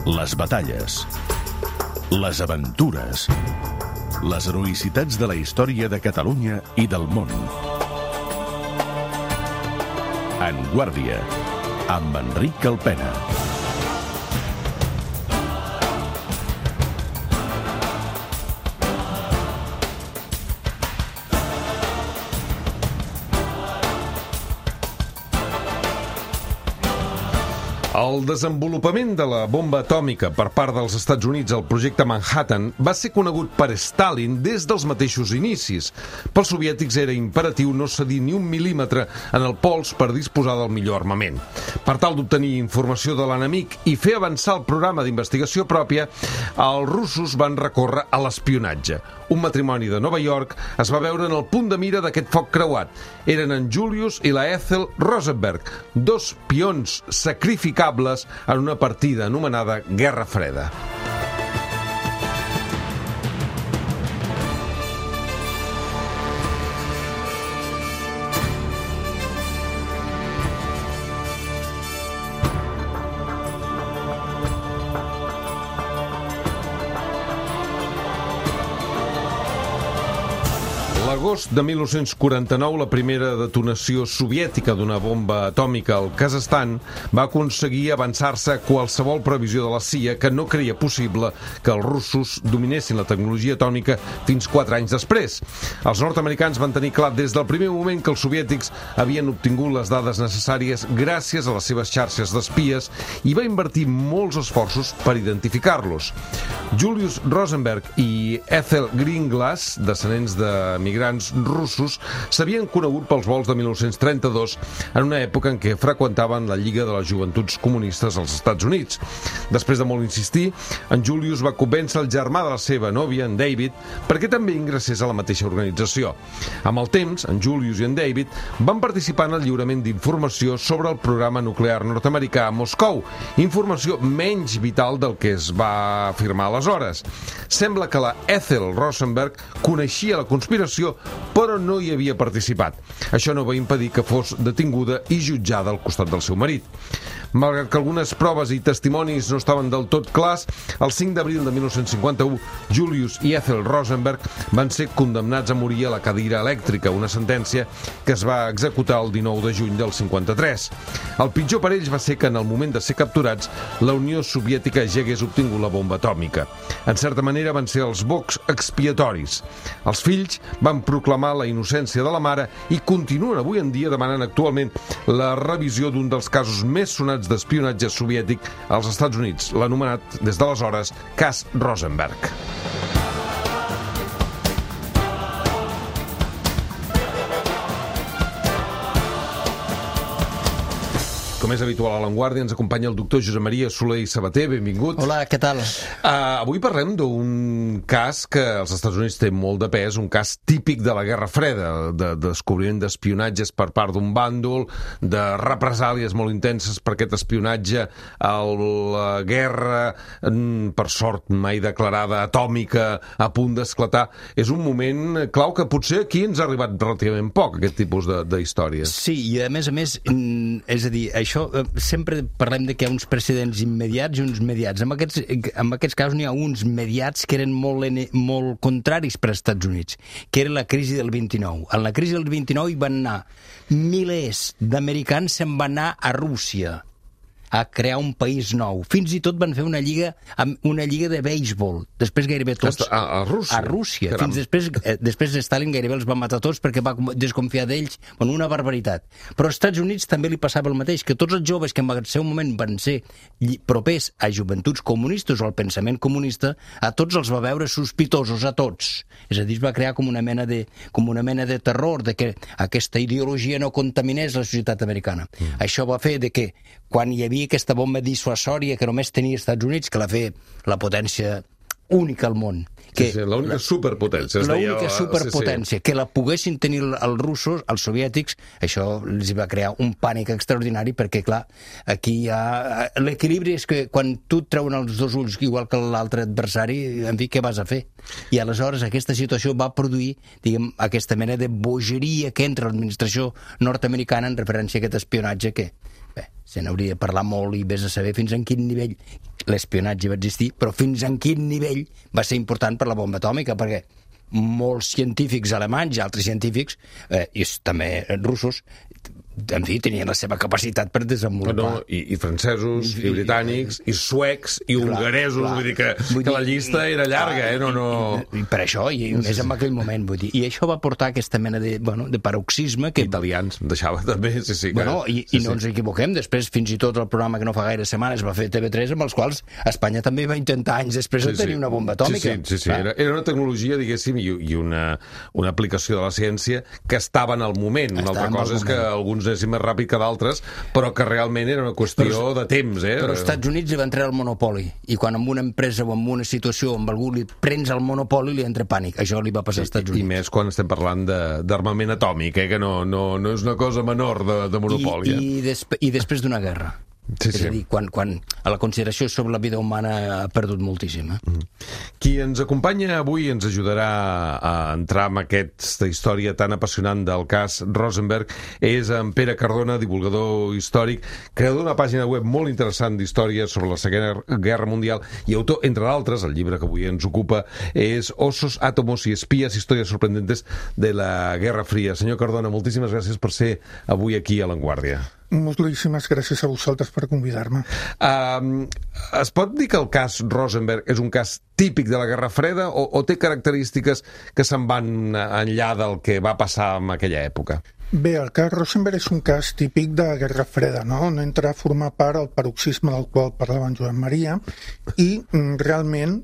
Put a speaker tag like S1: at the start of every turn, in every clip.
S1: les batalles, les aventures, les heroïcitats de la història de Catalunya i del món. En Guàrdia, amb Enric Alpena.
S2: El desenvolupament de la bomba atòmica per part dels Estats Units al projecte Manhattan va ser conegut per Stalin des dels mateixos inicis. Pels soviètics era imperatiu no cedir ni un mil·límetre en el pols per disposar del millor armament. Per tal d'obtenir informació de l'enemic i fer avançar el programa d'investigació pròpia, els russos van recórrer a l'espionatge. Un matrimoni de Nova York es va veure en el punt de mira d'aquest foc creuat. Eren en Julius i la Ethel Rosenberg, dos pions sacrificables en una partida anomenada Guerra Freda. L'agost de 1949, la primera detonació soviètica d'una bomba atòmica al Kazakhstan va aconseguir avançar-se a qualsevol previsió de la CIA que no creia possible que els russos dominessin la tecnologia atòmica fins 4 anys després. Els nord-americans van tenir clar des del primer moment que els soviètics havien obtingut les dades necessàries gràcies a les seves xarxes d'espies i va invertir molts esforços per identificar-los. Julius Rosenberg i Ethel Greenglass, descendents de migrants russos, s'havien conegut pels vols de 1932 en una època en què freqüentaven la Lliga de les Joventuts Comunistes als Estats Units. Després de molt insistir, en Julius va convèncer el germà de la seva nòvia, en David, perquè també ingressés a la mateixa organització. Amb el temps, en Julius i en David van participar en el lliurament d'informació sobre el programa nuclear nord-americà a Moscou, informació menys vital del que es va afirmar aleshores. Sembla que la Ethel Rosenberg coneixia la conspiració però no hi havia participat. Això no va impedir que fos detinguda i jutjada al costat del seu marit. Malgrat que algunes proves i testimonis no estaven del tot clars, el 5 d'abril de 1951, Julius i Ethel Rosenberg van ser condemnats a morir a la cadira elèctrica, una sentència que es va executar el 19 de juny del 53. El pitjor per ells va ser que en el moment de ser capturats, la Unió Soviètica ja hagués obtingut la bomba atòmica. En certa manera van ser els bocs expiatoris. Els fills van proclamar la innocència de la mare i continuen avui en dia demanant actualment la revisió d'un dels casos més sonats d'espionatge soviètic als Estats Units, l'anomenat des d'aleshores cas Rosenberg. Com és habitual a l'Avantguàrdia, ens acompanya el doctor Josep Maria Soler i Sabater. Benvingut.
S3: Hola, què tal?
S2: Avui parlem d'un cas que als Estats Units té molt de pes, un cas típic de la Guerra Freda, de descobriment d'espionatges per part d'un bàndol, de represàlies molt intenses per aquest espionatge a la guerra, per sort mai declarada, atòmica, a punt d'esclatar. És un moment clau que potser aquí ens ha arribat relativament poc, aquest tipus d'històries.
S3: Sí, i a més, és a dir, això sempre parlem de que hi ha uns precedents immediats i uns mediats. En aquests casos n'hi ha uns mediats que eren molt contraris per als Estats Units, que era la crisi del 29. En la crisi del 29 hi van anar milers d'americans, se'n van anar a Rússia a crear un país nou. Fins i tot van fer una lliga de béisbol. Després gairebé tots...
S2: A Rússia?
S3: A Rússia. Fins després Stalin gairebé els va matar tots perquè va desconfiar d'ells. Bueno, una barbaritat. Però als Estats Units també li passava el mateix, que tots els joves que en el seu moment van ser propers a joventuts comunistes o al pensament comunista, a tots els va veure sospitosos, a tots. És a dir, es va crear com una mena de terror de que aquesta ideologia no contaminés la societat americana. Això va fer de que quan hi havia aquesta bomba dissuasòria que només tenia els Estats Units, que la feia la potència única al món.
S2: L'única superpotència.
S3: L'única superpotència. Que la poguessin tenir els russos, els soviètics, això els va crear un pànic extraordinari perquè, clar, aquí hi ha... L'equilibri és que quan tu et treuen els dos ulls igual que l'altre adversari, en fi, què vas a fer? I aleshores aquesta situació va produir, diguem, aquesta mena de bogeria que entra l'administració nord-americana en referència a aquest espionatge que... Bé, se n'hauria de parlar molt i vés a saber fins en quin nivell l'espionatge va existir, però fins en quin nivell va ser important per la bomba atòmica, perquè molts científics alemanys i altres científics, i també russos, en fi, tenien la seva capacitat per desenvolupar.
S2: I francesos, i britànics, i suecs, i hongaresos, vull dir que la llista era llarga,
S3: I per això, i més en aquell moment, vull dir. I això va portar aquesta mena de paroxisme que...
S2: Italians, deixava també, sí.
S3: I no ens equivoquem, després fins i tot el programa que no fa gaire setmanes va fer TV3, amb els quals Espanya també va intentar anys després de tenir una bomba atòmica.
S2: Sí. Era una tecnologia, diguéssim, i una aplicació de la ciència que estava en el moment. Una altra cosa és que alguns anéssim més ràpid que d'altres, però que realment era una qüestió de temps.
S3: Però als Estats Units li va entrar el monopoli, i quan en una empresa o en una situació amb algú li prens el monopoli li entra pànic. Això li va passar als Estats Units.
S2: I més quan estem parlant d'armament atòmic, que no és una cosa menor de monopoli.
S3: I després d'una guerra. És a dir, quan la consideració sobre la vida humana ha perdut moltíssim.
S2: Qui ens acompanya avui ens ajudarà a entrar en aquesta història tan apassionant del cas Rosenberg és en Pere Cardona, divulgador històric, creador d'una pàgina web molt interessant d'història sobre la Segona Guerra Mundial i autor, entre d'altres, el llibre que avui ens ocupa és Osos, Átomos y Espías, històries sorprendentes de la Guerra Fria. Senyor Cardona, moltíssimes gràcies per ser avui aquí a L'Enguàrdia.
S4: Moltíssimes gràcies a vosaltres per convidar-me.
S2: Es pot dir que el cas Rosenberg és un cas típic de la Guerra Freda o té característiques que se'n van enllà del que va passar en aquella època?
S4: Bé, el cas Rosenberg és un cas típic de Guerra Freda, no entra a formar part del paroxisme del qual parlava en Joan Maria i realment,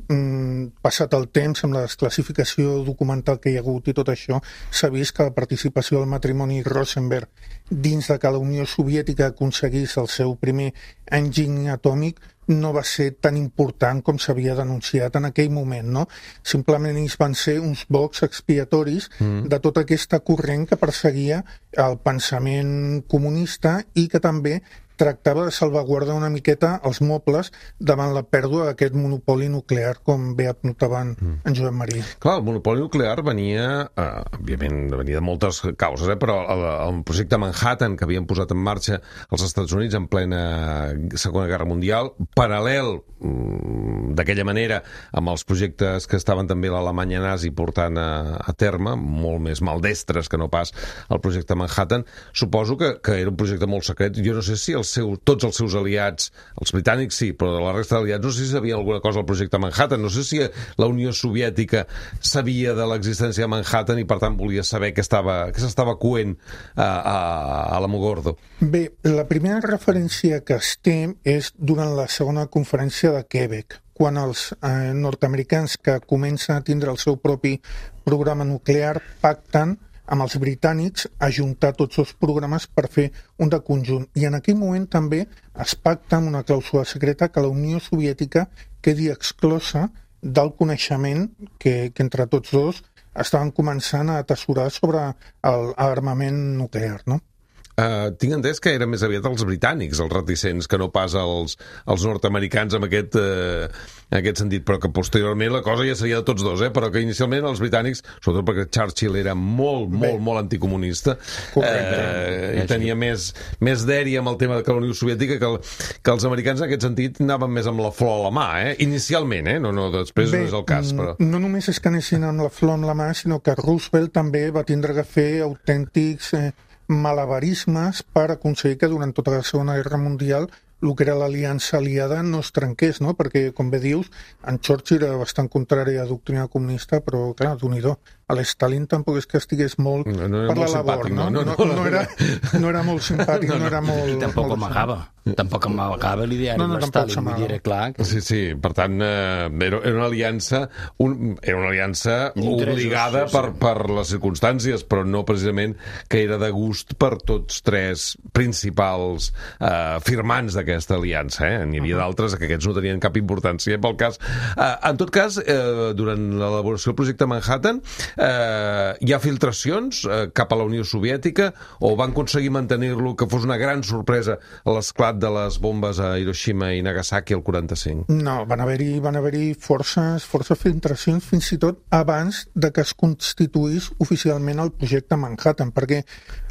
S4: passat el temps, amb la desclassificació documental que hi ha hagut i tot això, s'ha vist que la participació del matrimoni Rosenberg dins de que la Unió Soviètica aconseguís el seu primer enginy atòmic no va ser tan important com s'havia denunciat en aquell moment, no? Simplement ells van ser uns bocs expiatoris de tota aquesta corrent que perseguia el pensament comunista i que també tractava de salvaguardar una miqueta els mobles davant la pèrdua d'aquest monopoli nuclear, com bé apuntaven en Joan Maria.
S2: Clar, el monopoli nuclear venia, òbviament, venia de moltes causes, però el projecte Manhattan que havien posat en marxa els Estats Units en plena Segona Guerra Mundial, paral·lel d'aquella manera amb els projectes que estaven també l'Alemanya nazi portant a terme, molt més maldestres que no pas el projecte Manhattan, suposo que era un projecte molt secret. Jo no sé si tots els seus aliats, els britànics sí, però de la resta d'aliats no sé si sabien alguna cosa del projecte Manhattan, no sé si la Unió Soviètica sabia de l'existència de Manhattan i per tant volia saber què s'estava coent a l'Alamogordo.
S4: Bé, la primera referència que es té és durant la segona conferència de Quebec, quan els nord-americans que comencen a tindre el seu propi programa nuclear pacten amb els britànics ajuntar tots els programes per fer un de conjunt. I en aquell moment també es pacta amb una clàusula secreta que la Unió Soviètica quedi exclosa del coneixement que entre tots dos estaven començant a atessorar sobre l'armament nuclear, no?
S2: Tinc entès que eren més aviat els britànics, els reticents, que no pas els nord-americans en aquest sentit, però que posteriorment la cosa ja seria de tots dos, però que inicialment els britànics, sobretot perquè Churchill era molt anticomunista, i tenia més dèria amb el tema de la Unió Soviètica que els americans en aquest sentit anaven més amb la flor a la mà, inicialment, no després no és el cas. Però...
S4: No només és que anessin amb la flor amb la mà, sinó que Roosevelt també va tindre que fer autèntics malabarismes per aconseguir que durant tota la Segona Guerra Mundial el que era l'aliança aliada no es trenqués, no? Perquè, com bé dius, en Churchill era bastant contrari a la doctrina comunista, però, clar, d'unidor. A l'Stalin tampoc és que estigués molt per la labor, no? No era molt simpàtic, no era molt...
S3: I tampoc amagava l'ideari amb l'Stalin, vull dir, clar.
S2: Sí, per tant, era una aliança obligada per les circumstàncies, però no precisament que era de gust per tots tres principals firmants d'aquesta aliança. N'hi havia d'altres que aquests no tenien cap importància pel cas. En tot cas, durant l'elaboració del projecte Manhattan, Hi ha filtracions cap a la Unió Soviètica o van aconseguir mantenir-lo, que fos una gran sorpresa l'esclat de les bombes a Hiroshima i Nagasaki el 45?
S4: No, van haver-hi forces filtracions fins i tot abans de que es constituís oficialment el projecte Manhattan, perquè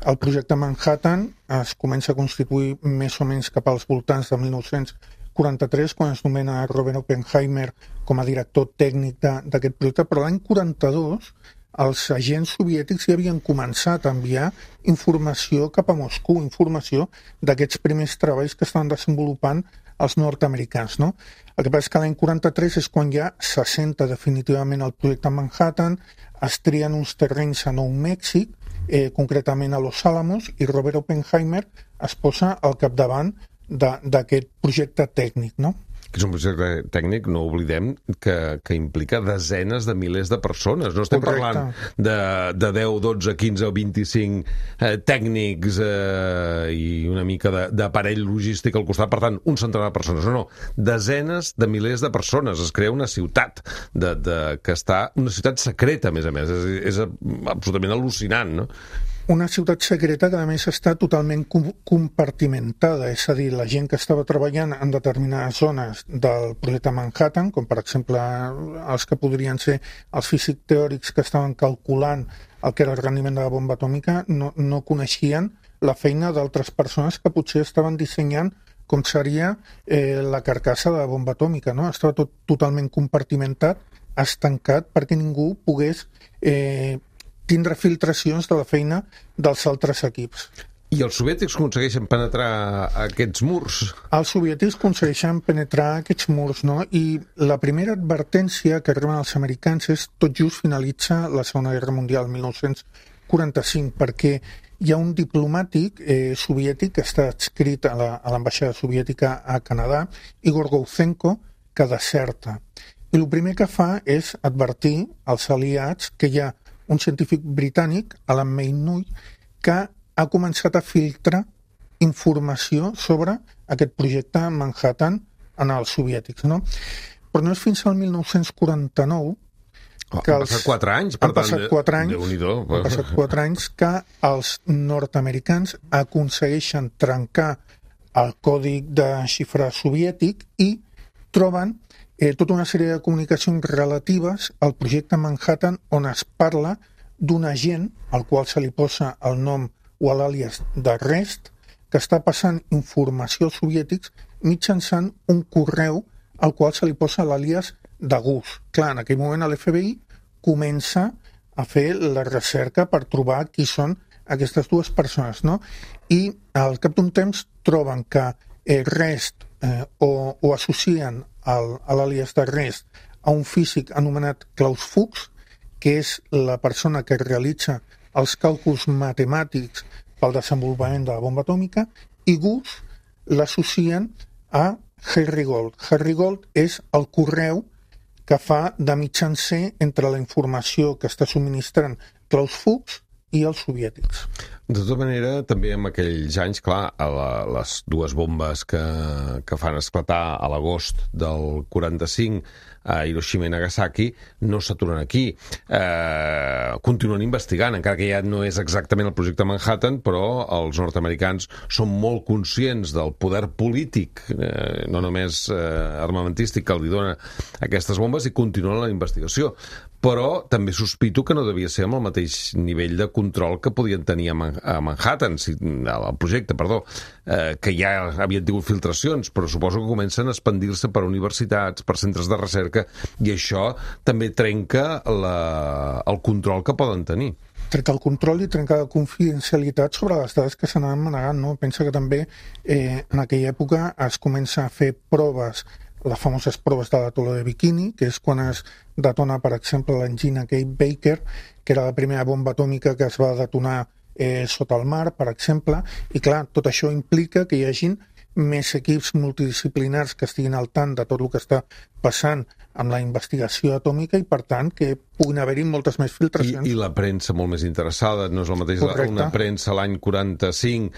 S4: el projecte Manhattan es comença a constituir més o menys cap als voltants de 1943, quan es nomena Robert Oppenheimer com a director tècnic d'aquest projecte, però l'any 42 els agents soviètics ja havien començat a enviar informació cap a Moscou, informació d'aquests primers treballs que estaven desenvolupant els nord-americans, no? El que passa és que l'any 43 és quan ja s'assenta definitivament el projecte Manhattan, es trien uns terrenys a Nou Mèxic, concretament a Los Álamos, i Robert Oppenheimer es posa al capdavant d'aquest projecte tècnic, no?
S2: Que és un projecte tècnic, no oblidem, que implica desenes de milers de persones. No estem parlant de 10, 12, 15 o 25 tècnics i una mica d'aparell logístic al costat, per tant, un centenar de persones. No, desenes de milers de persones. Es crea una ciutat que està... Una ciutat secreta, a més. És absolutament al·lucinant, no?
S4: Una ciutat secreta que, a més, està totalment compartimentada, és a dir, la gent que estava treballant en determinades zones del projecte Manhattan, com per exemple els que podrien ser els físics teòrics que estaven calculant el que era el rendiment de la bomba atòmica, no coneixien la feina d'altres persones que potser estaven dissenyant com seria la carcassa de la bomba atòmica, no? Estava tot totalment compartimentat, estancat, perquè ningú pogués tindre filtracions de la feina dels altres equips.
S2: I els soviètics aconsegueixen penetrar aquests murs?
S4: Els soviètics aconsegueixen penetrar aquests murs, no? I la primera advertència que reben els americans és tot just finalitza la Segona Guerra Mundial, 1945, perquè hi ha un diplomàtic soviètic que està adscrit a l'ambaixada soviètica a Canadà, Igor Gouzenko, que deserta. I el primer que fa és advertir als aliats que hi ha un científic britànic, Alan Maynooth, que ha començat a filtrar informació sobre aquest projecte Manhattan en els soviètics, no? Però no és fins al 1949 que
S2: han passat 4 anys, per tant,
S4: Déu-n'hi-do. Han passat 4 anys que els nord-americans aconsegueixen trencar el codi de xifra soviètic i troben tota una sèrie de comunicacions relatives al projecte Manhattan on es parla d'un agent al qual se li posa el nom o l'àlies de Rest, que està passant informació als soviètics mitjançant un correu al qual se li posa l'àlies de Gus. Clar, en aquell moment l'FBI comença a fer la recerca per trobar qui són aquestes dues persones, no? I al cap d'un temps troben que Rest o associen a l'àlies de Rest a un físic anomenat Klaus Fuchs, que és la persona que realitza els càlculs matemàtics pel desenvolupament de la bomba atòmica, i Gus l'associen a Harry Gold. Harry Gold és el correu que fa de mitjancer entre la informació que està subministrant Klaus Fuchs i els soviètics.
S2: De tota manera, també en aquells anys, clar, les dues bombes que fan esclatar a l'agost del 45 a Hiroshima i Nagasaki no s'aturen aquí. Continuen investigant, encara que ja no és exactament el projecte Manhattan, però els nord-americans són molt conscients del poder polític, no només armamentístic, que els dona aquestes bombes, i continuen la investigació. Però també sospito que no devia ser amb el mateix nivell de control que podien tenir a Manhattan, al projecte, perdó, que ja havien tingut filtracions, però suposo que comencen a expandir-se per universitats, per centres de recerca, i això també trenca el control que poden tenir.
S4: Trenca el control i trenca la confidencialitat sobre les dades que s'anaven manegant, no? Pensa que també en aquella època es comença a fer proves, les famoses proves de l'atol de Bikini, que és quan es detona, per exemple, l'engina Kate Baker, que era la primera bomba atòmica que es va detonar sota el mar, per exemple, i clar, tot això implica que hi hagin més equips multidisciplinars que estiguin al tant de tot el que està passant amb la investigació atòmica i, per tant, que puguin haver-hi moltes més filtracions.
S2: I la premsa molt més interessada, no és el mateix una premsa l'any 45,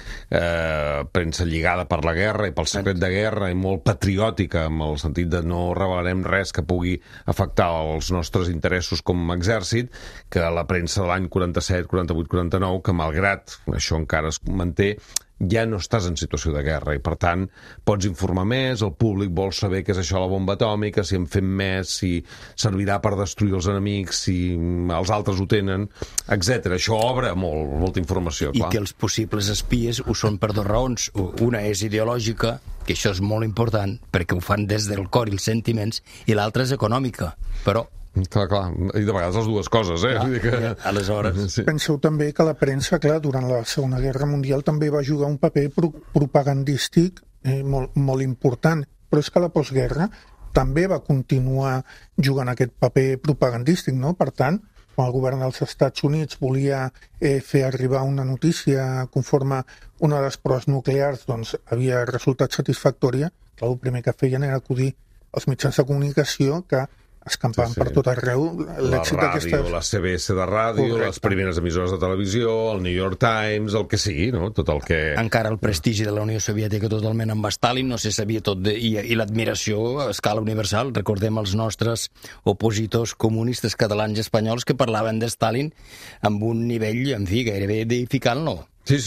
S2: premsa lligada per la guerra i pel secret de guerra i molt patriòtica, amb el sentit de no revelarem res que pugui afectar els nostres interessos com a exèrcit, que la premsa de l'any 47, 48, 49, que malgrat això encara es manté, ja no estàs en situació de guerra i, per tant, pots informar més, el públic vol saber què és això la bomba atòmica, si en fem més, si servirà per destruir els enemics, si els altres ho tenen, etc. Això obre molta informació, clar.
S3: I que els possibles espies ho són per dues raons. Una és ideològica, que això és molt important, perquè ho fan des del cor i els sentiments, i l'altra és econòmica, però...
S2: Clar, i de vegades les dues coses, eh?
S3: Vull dir que... Aleshores...
S4: Sí. Penseu també que la premsa, clar, durant la Segona Guerra Mundial també va jugar un paper propagandístic molt important, però és que la postguerra també va continuar jugant aquest paper propagandístic, no? Per tant, quan el govern dels Estats Units volia fer arribar una notícia conforme una de les proves nuclears doncs, havia resultat satisfactòria, clar, el primer que feien era acudir als mitjans de comunicació que escampant per tot arreu l'èxit d'aquestes...
S2: La CBS de ràdio, correcte, les primeres emissores de televisió, el New York Times, el que sigui, no? Tot el que...
S3: Encara el prestigi de la Unió Soviètica totalment amb Stalin, no se sabia tot, i l'admiració a escala universal. Recordem els nostres opositors comunistes catalans i espanyols que parlaven de Stalin amb un nivell, en fi, gairebé deificant-lo.
S2: Sí,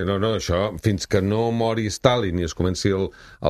S2: no, això, fins que no mori Stalin i es comenci el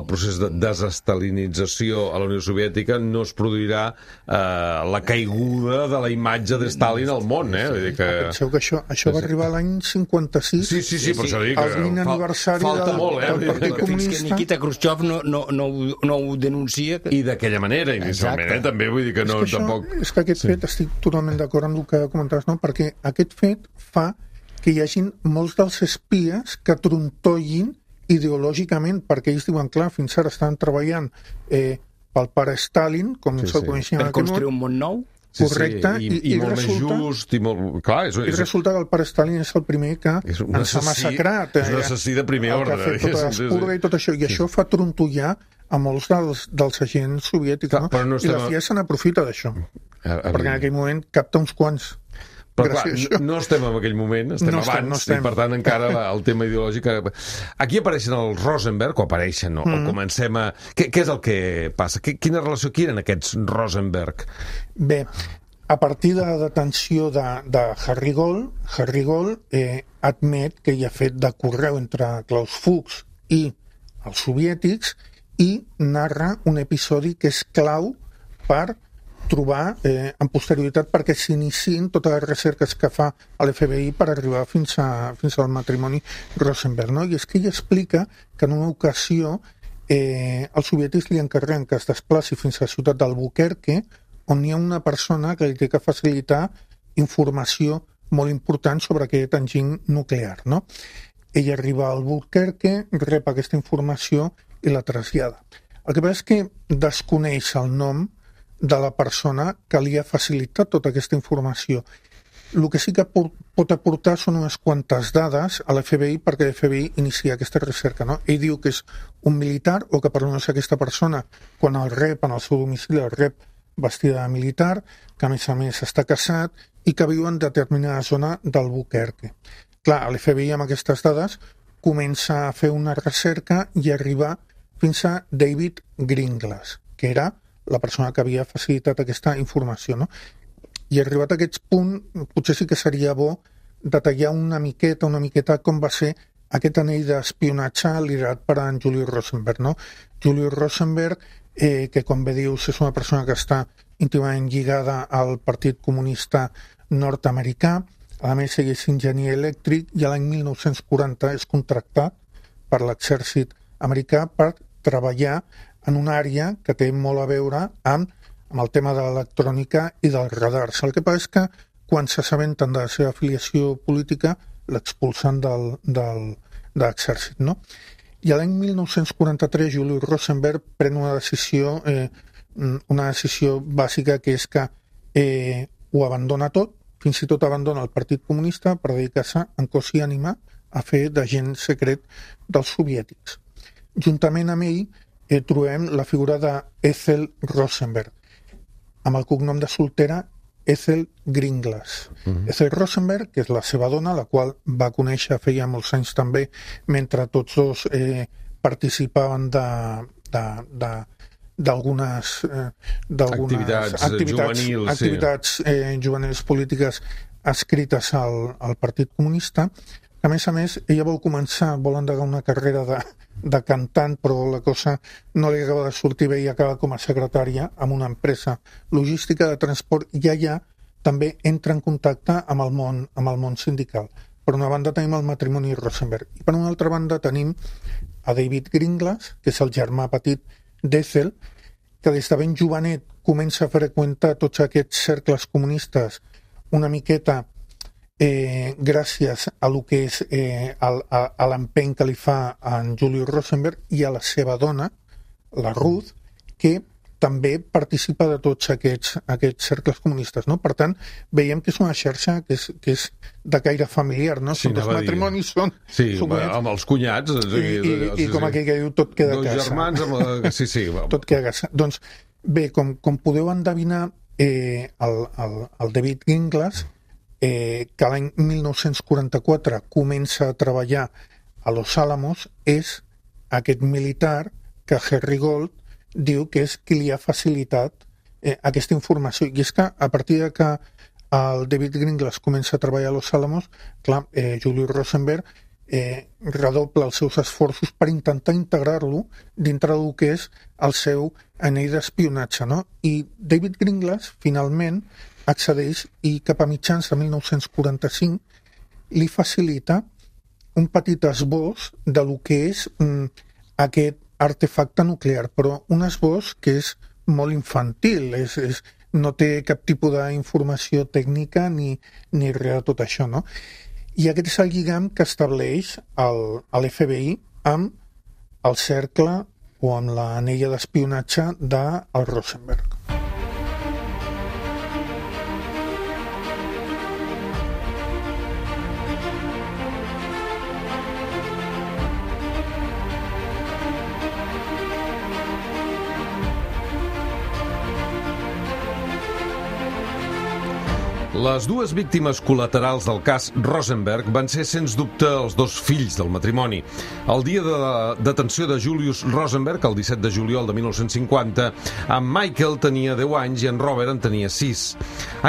S2: procés de desestalinització a la Unió Soviètica, no es produirà la caiguda de la imatge de Stalin al món, eh? Vull dir que...
S4: Penseu que això va arribar l'any 56.
S2: Sí, per això dic que...
S4: El 20 aniversari del Partit Comunista.
S3: Fins que Nikita Khrushchev no ho denuncia.
S2: I d'aquella manera, inicialment, també, vull dir que no, tampoc...
S4: És que aquest fet, estic totalment d'acord amb el que comentaves, no? Perquè aquest fet fa que hi hagin molts dels espies que trontollin ideològicament, perquè ells diuen, clar, fins ara estan treballant pel pare Stalin, com se'l coneixia en
S3: per construir un món nou.
S4: Correcte,
S2: i molt més just, i molt... Clar,
S4: i resulta que el pare Stalin és el primer que ens ha massacrat.
S2: És un assassí de primer ordre.
S4: Que ha fet tota l'espurga i tot això, i això fa trontollar a molts dels agents soviètics, no? I la CIA se n'aprofita d'això, perquè en aquell moment capta uns quants.
S2: Però clar, no estem en aquell moment, estem abans, i per tant encara el tema ideològic... Aquí apareixen els Rosenberg, o apareixen, o comencem a... Què és el que passa? Quina relació eren aquests Rosenberg?
S4: Bé, a partir de la detenció de Harry Gold admet que hi ha fet de correu entre Klaus Fuchs i els soviètics i narra un episodi que és clau per trobar en posterioritat perquè s'iniciïn totes les recerques que fa l'FBI per arribar fins al matrimoni Rosenberg, no? I és que ell explica que en una ocasió els soviètics li encarreguen que es desplaci fins a la ciutat d'Albuquerque, on hi ha una persona que li té que facilitar informació molt important sobre aquest enginy nuclear, no? Ell arriba a Albuquerque, rep aquesta informació i la trasllada. El que passa és que desconeix el nom de la persona que li ha facilitat tota aquesta informació. El que sí que pot aportar són unes quantes dades a l'FBI perquè l'FBI inicia aquesta recerca, no? Ell diu que és un militar o que per no ser aquesta persona, quan el rep en el seu domicili, el rep vestida de militar, que a més està casat i que viu en determinada zona d'Albuquerque. Clar, l'FBI amb aquestes dades comença a fer una recerca i arribar fins a David Greenglass, que era la persona que havia facilitat aquesta informació, no? I arribat a aquest punt, potser sí que seria bo detallar una miqueta com va ser aquest anell d'espionatge liderat per en Julius Rosenberg, no? Julius Rosenberg, que com bé dius és una persona que està íntimament lligada al Partit Comunista nord-americà, a més ell és enginyer elèctric i l'any 1940 és contractat per l'exèrcit americà per treballar en una àrea que té molt a veure amb el tema de l'electrònica i dels radars. El que passa és que quan s'assabenten de la seva afiliació política l'expulsen de l'exèrcit, no? I l'any 1943 Julius Rosenberg pren una decisió bàsica, que és que ho abandona tot, fins i tot abandona el Partit Comunista per dedicar-se en cos i ànima a fer d'agent secret dels soviètics. Juntament amb ell trobem la figura d'Ethel Rosenberg, amb el cognom de soltera Ethel Gringlas. Ethel Rosenberg, que és la seva dona, la qual va conèixer feia molts anys també, mentre tots dos participaven d'algunes activitats juvenils polítiques escrites al Partit Comunista. A més, ella vol endegar una carrera de cantant, però la cosa no li acaba de sortir bé i acaba com a secretària en una empresa logística de transport i allà també entra en contacte amb el món sindical. Per una banda tenim el matrimoni Rosenberg i per una altra banda tenim a David Gringlas, que és el germà petit d'Ethel, que des de ben jovenet comença a freqüentar tots aquests cercles comunistes una miqueta gràcies a lo que és a l'empeny que li fa en Julius Rosenberg i a la seva dona, la Ruth, que també participa de tots aquests cercles comunistes, no? Per tant, veiem que és una xarxa que és de caire familiar, no?
S2: Sí,
S4: els matrimonis són...
S2: Sí, amb els cunyats.
S4: I com aquell que diu, tot queda a casa.
S2: Dos germans amb la... Sí.
S4: Tot queda a casa. Doncs bé, com podeu endevinar, el David Gringlas, que l'any 1944 comença a treballar a Los Álamos, és aquest militar que Harry Gold diu que és qui li ha facilitat aquesta informació. I és que a partir de que el David Gringlas comença a treballar a Los Álamos, clar, Julius Rosenberg redobla els seus esforços per intentar integrar-lo dintre del que és el seu anell d'espionatge, no? I David Gringlas, finalment, accedeix i cap a mitjans de 1945 li facilita un petit esbós de lo que és aquest artefacte nuclear, però un esbós que és molt infantil, no té cap tipus d'informació tècnica ni res de tot això, no? I aquest és el lligam que estableix l'FBI amb el cercle o amb l'anella d'espionatge del Rosenberg.
S2: Les dues víctimes col·laterals del cas Rosenberg van ser, sens dubte, els dos fills del matrimoni. El dia de la detenció de Julius Rosenberg, el 17 de juliol de 1950, en Michael tenia 10 anys i en Robert en tenia 6.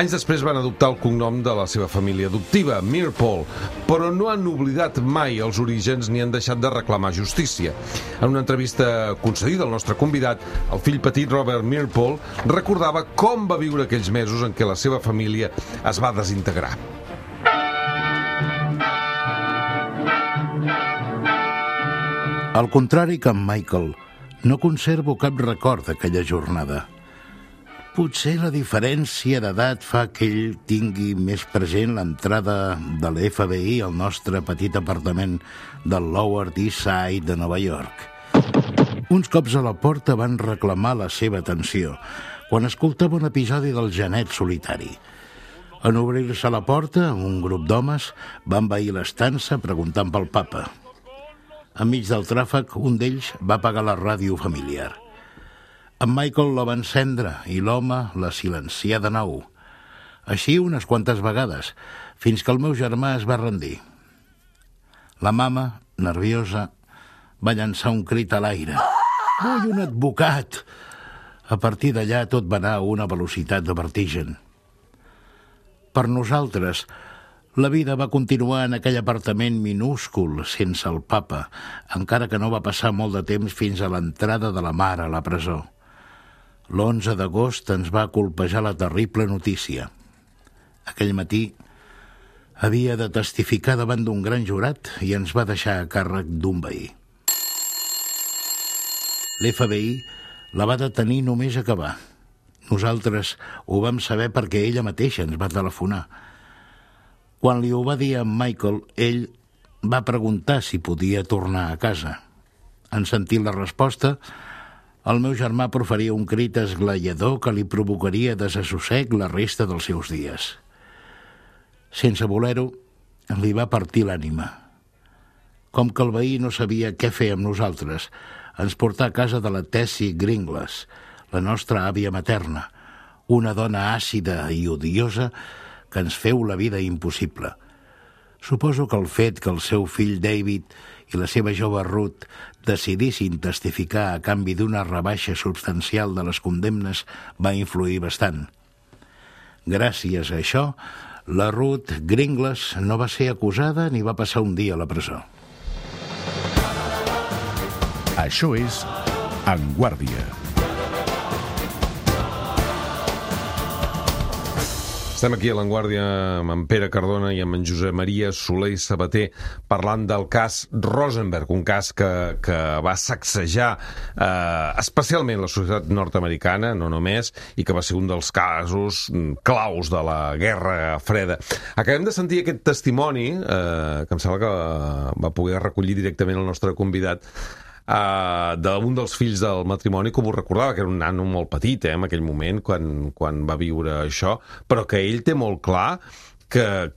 S2: Anys després van adoptar el cognom de la seva família adoptiva, Mearpole, però no han oblidat mai els orígens ni han deixat de reclamar justícia. En una entrevista concedida al nostre convidat, el fill petit Robert Mearpole recordava com va viure aquells mesos en què la seva família es va desintegrar.
S5: Al contrari que en Michael, no conservo cap record d'aquella jornada. Potser la diferència d'edat fa que ell tingui més present l'entrada de l'FBI al nostre petit apartament del Lower East Side de Nova York. Uns cops a la porta van reclamar la seva atenció quan escoltava un episodi del Genet solitari. En obrir-se la porta, un grup d'homes va envair l'estança preguntant pel papa. Enmig del tràfic, un d'ells va apagar la ràdio familiar. En Michael la va encendre i l'home la silencià de nou. Així unes quantes vegades, fins que el meu germà es va rendir. La mama, nerviosa, va llançar un crit a l'aire. «Vull un advocat!» A partir d'allà tot va anar a una velocitat de vertigen. Per nosaltres, la vida va continuar en aquell apartament minúscul, sense el papa, encara que no va passar molt de temps fins a l'entrada de la mare a la presó. L'11 d'agost ens va colpejar la terrible notícia. Aquell matí havia de testificar davant d'un gran jurat i ens va deixar a càrrec d'un veí. L'FBI la va detenir només acabar. Nosaltres ho vam saber perquè ella mateixa ens va telefonar. Quan li ho va dir a Michael, ell va preguntar si podia tornar a casa. En sentir la resposta, el meu germà proferia un crit esglaiador que li provocaria desassossec la resta dels seus dies. Sense voler-ho, li va partir l'ànima. Com que el veí no sabia què fer amb nosaltres, ens portà a casa de la Tessie Gringlas, la nostra àvia materna, una dona àcida i odiosa que ens feu la vida impossible. Suposo que el fet que el seu fill David i la seva jove Ruth decidissin testificar a canvi d'una rebaixa substancial de les condemnes va influir bastant. Gràcies a això, la Ruth Gringlas no va ser acusada ni va passar un dia a la presó.
S1: Això és En Guàrdia.
S2: Estem aquí a l'Enguàrdia amb en Pere Cardona i amb en Josep Maria Soler i Sabater parlant del cas Rosenberg, un cas que va sacsejar especialment la societat nord-americana, no només, i que va ser un dels casos claus de la Guerra Freda. Acabem de sentir aquest testimoni, que em sembla que va poder recollir directament el nostre convidat, d'un dels fills del matrimoni, com ho recordava, que era un nano molt petit en aquell moment quan va viure això, però que ell té molt clar que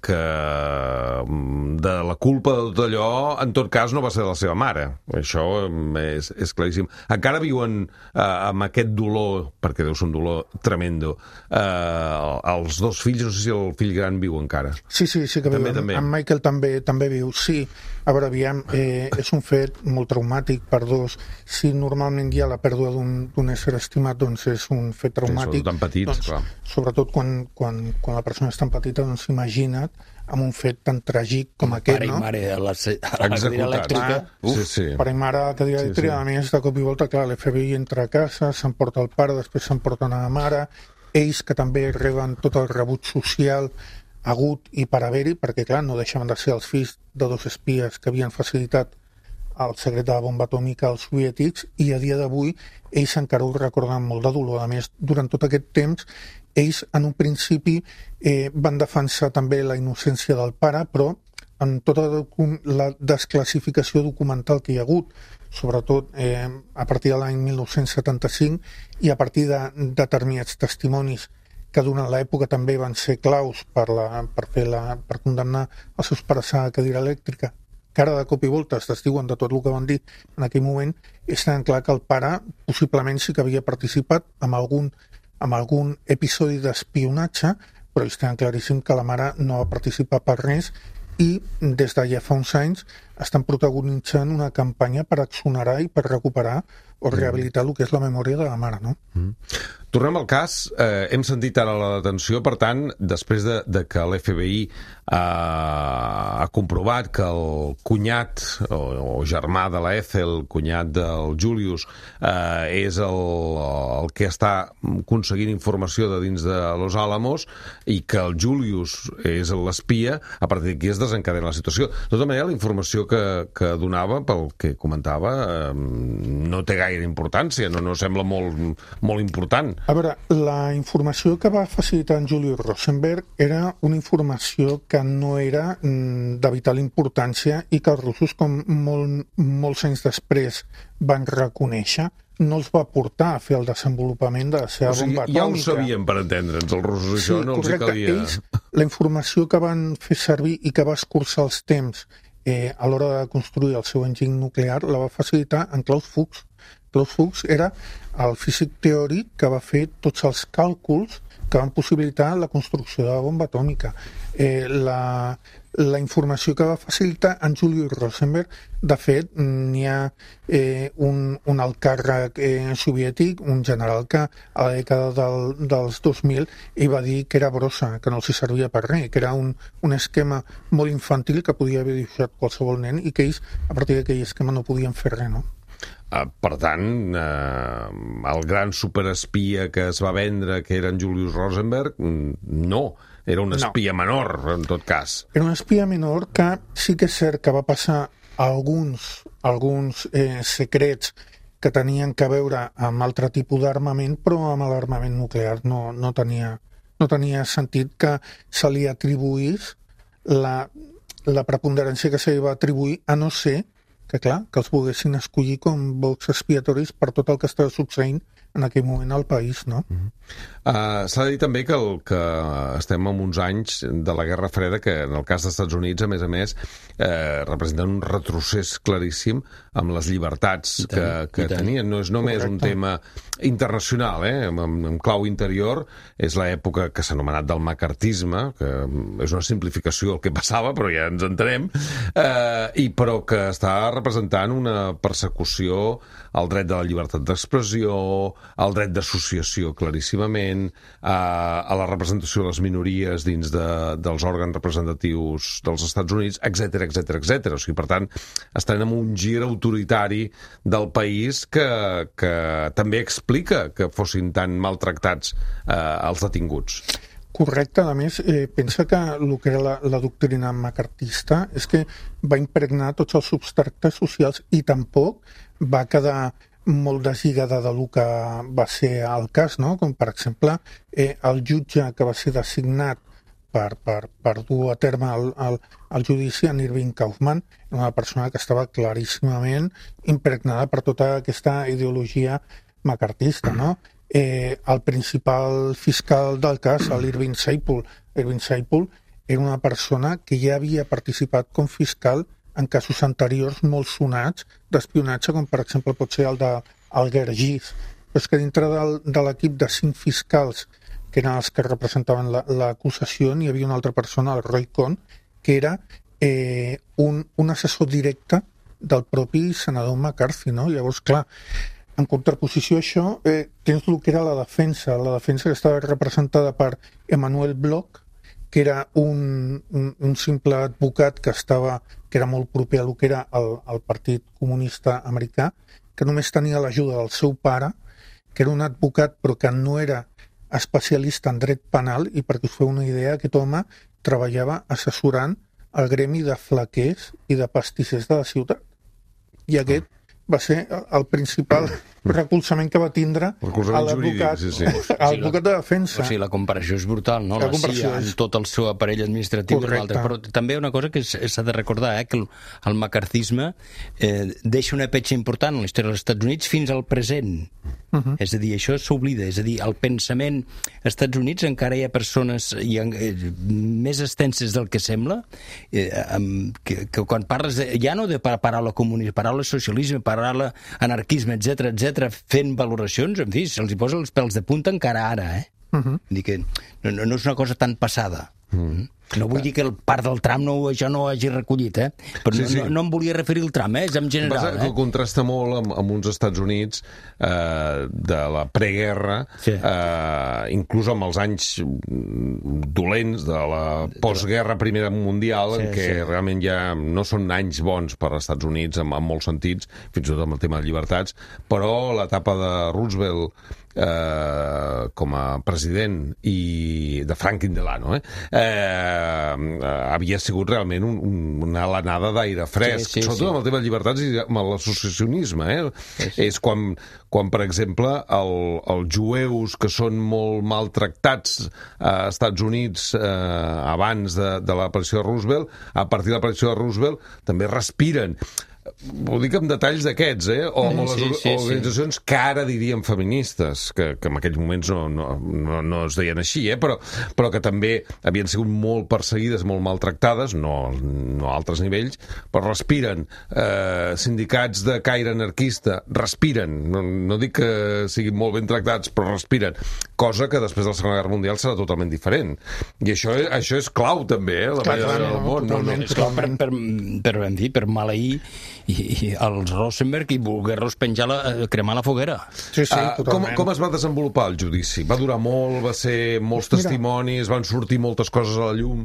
S2: de la culpa de tot allò en tot cas no va ser de la seva mare. Això és claríssim. Encara viuen amb aquest dolor, perquè deu ser un dolor tremendo, els dos fills. No sé si el fill gran viu encara.
S4: Sí que viu. També. En Michael també viu, sí. A veure, aviam, és un fet molt traumàtic per dos. Si normalment hi ha la pèrdua d'un ésser estimat, doncs és un fet traumàtic.
S2: Són tan petits, doncs, clar.
S4: Sobretot quan la persona és tan petita, doncs imagina't amb un fet tan tràgic com aquest, no?
S3: Pare i mare a la cadira elèctrica.
S2: Sí.
S4: Pare i mare a la cadira elèctrica. A més, de cop i volta, clar, l'FBI entra a casa, s'emporta el pare, després s'emporten a la mare, ells que també reben tot el rebut social agut i per haver-hi, perquè clar, no deixaven de ser els fills de dos espies que havien facilitat el secret de la bomba atòmica als soviètics, i a dia d'avui ells encara ho recorden molt de dolor. A més, durant tot aquest temps, ells en un principi van defensar també la innocència del pare, però en tota la desclassificació documental que hi ha hagut, sobretot a partir de l'any 1975 i a partir de determinats testimonis que durant l'època també van ser claus per condemnar els seus pares a la cadira elèctrica, que ara de cop i volta es desdiuen de tot el que van dir en aquell moment, és tan clar que el pare possiblement sí que havia participat en algun episodi d'espionatge, però és tan claríssim que la mare no va participar per res, i des de ja fa uns anys estan protagonitzant una campanya per exonerar i per recuperar o rehabilitar el que és la memòria de la mare, no?
S2: Tornem al cas. Hem sentit ara la detenció, per tant, després de que l'FBI ha comprovat que el cunyat o germà de la Ethel, cunyat del Julius, és el que està aconseguint informació de dins de Los Alamos, i que el Julius és l'espia, a partir d'aquí es desencadena la situació. De tota manera, la informació que donava, pel que comentava, no té gaire importància, no sembla molt important.
S4: A veure, la informació que va facilitar en Julius Rosenberg era una informació que no era de vital importància i que els russos, com molts anys després van reconèixer, no els va portar a fer el desenvolupament de la seva bomba atòmica.
S2: Ja ho sabien, per entendre'ns, els russos, això no els calia.
S4: Ells, la informació que van fer servir i que va escurçar els temps a l'hora de construir el seu enginy nuclear la va facilitar en Klaus Fuchs. Klaus Fuchs era el físic teòric que va fer tots els càlculs que van possibilitar la construcció de la bomba atòmica. La informació que va facilitar en Julius Rosenberg, de fet, n'hi ha un alt càrrec soviètic, un general que a la dècada dels 2000 ell va dir que era brossa, que no els servia per res, que era un esquema molt infantil que podia haver dibuixat qualsevol nen i que ells, a partir d'aquell esquema, no podien fer res, no?
S2: Per tant, el gran superespia que es va vendre, que era en Julius Rosenberg, no, era un espia menor, en tot cas.
S4: Era un espia menor que sí que és cert que va passar alguns secrets que tenien que veure amb altre tipus d'armament, però amb l'armament nuclear no tenia sentit que se li atribuís la preponderància que se li va atribuir, a no ser que, clar, que els volguessin escollir com bocs expiatoris per tot el que estava succeint en aquell moment al país, no?
S2: S'ha de dir també que estem en uns anys de la Guerra Freda que, en el cas dels Estats Units, a més, representen un retrocés claríssim amb les llibertats que tenien. No és només un tema internacional, en clau interior. És l'època que s'ha anomenat del macartisme, que és una simplificació del que passava, però ja ens entenem, però que està representant una persecució al dret de la llibertat d'expressió, al dret d'associació claríssimament, a la representació de les minories dins dels òrgans representatius dels Estats Units, etc. O sigui, per tant, estan en un gir autoritari del país que també explica que fossin tan maltractats els detinguts.
S4: Correcte, a més, pensa que el que era la doctrina macartista és que va impregnar tots els substractes socials i tampoc va quedar molt deslligada del que va ser el cas, no? Com per exemple el jutge que va ser designat per dur a terme el judici, en Irving Kaufman, una persona que estava claríssimament impregnada per tota aquesta ideologia macartista, no? El principal fiscal del cas, l'Irving Seiple, era una persona que ja havia participat com fiscal en casos anteriors molt sonats d'espionatge, com per exemple pot ser el d'Alger Gis. Però és que dintre de l'equip de 5 fiscals, que eren els que representaven l'acusació, n'hi havia una altra persona, el Roy Cohn, que era un assessor directe del propi senador McCarthy, no? Llavors, clar, en contraposició a això, tens el que era la defensa que estava representada per Emmanuel Bloch, que era un simple advocat que era molt proper a lo que era el Partit Comunista Americà, que només tenia l'ajuda del seu pare, que era un advocat però que no era especialista en dret penal, i perquè us feu una idea, aquest home treballava assessorant el gremi de flaquers i de pastissers de la ciutat. I aquest va ser el principal recolzament que va tindre l'advocat de defensa.
S3: O sigui, la comparació és brutal, no? La CIA amb tot el seu aparell administratiu. Però també una cosa que s'ha de recordar, que el macartisme deixa una petja important en la història dels Estats Units fins al present. És a dir, això s'oblida. És a dir, el pensament als Estats Units encara hi ha persones més extenses del que sembla, que quan parles ja no de paraula comunista, paraula socialisme, paraula anarquisme, etc, fent valoracions, en fi, se'ls hi posa els pèls de punta encara ara, Vull dir que no és una cosa tan passada. No vull dir que el part del tram això no ho hagi recollit, però no em volia referir al tram, és en general.
S2: Que contrasta molt amb uns Estats Units de la preguerra, inclús amb els anys dolents de la postguerra Primera Mundial, en què realment ja no són anys bons per als Estats Units en molts sentits, fins i tot amb el tema de llibertats, però l'etapa de Roosevelt com a president i de Franklin Delano havia sigut realment una alenada d'aire fresc, sobretot amb el tema de llibertats i amb l'associacionisme. És quan, per exemple, els jueus que són molt maltractats a Estats Units abans de l'aparició de Roosevelt, a partir de l'aparició de Roosevelt també respiren. Ho dic amb detalls d'aquests, o les organitzacions que ara diríem feministes, que en aquells moments no es deien així, però que també havien sigut molt perseguides, molt maltractades, no a altres nivells, però respiren. Sindicats de caire anarquista respiren, no dic que siguin molt ben tractats, però respiren, cosa que després de la Segona Guerra Mundial serà totalment diferent. I això és clau també, la manera del món.
S3: És clau per maleir i els Rosenberg i voler-los cremar la foguera.
S4: Sí, totalment.
S2: Com es va desenvolupar el judici? Va durar molt, va ser molts testimonis, van sortir moltes coses a la llum?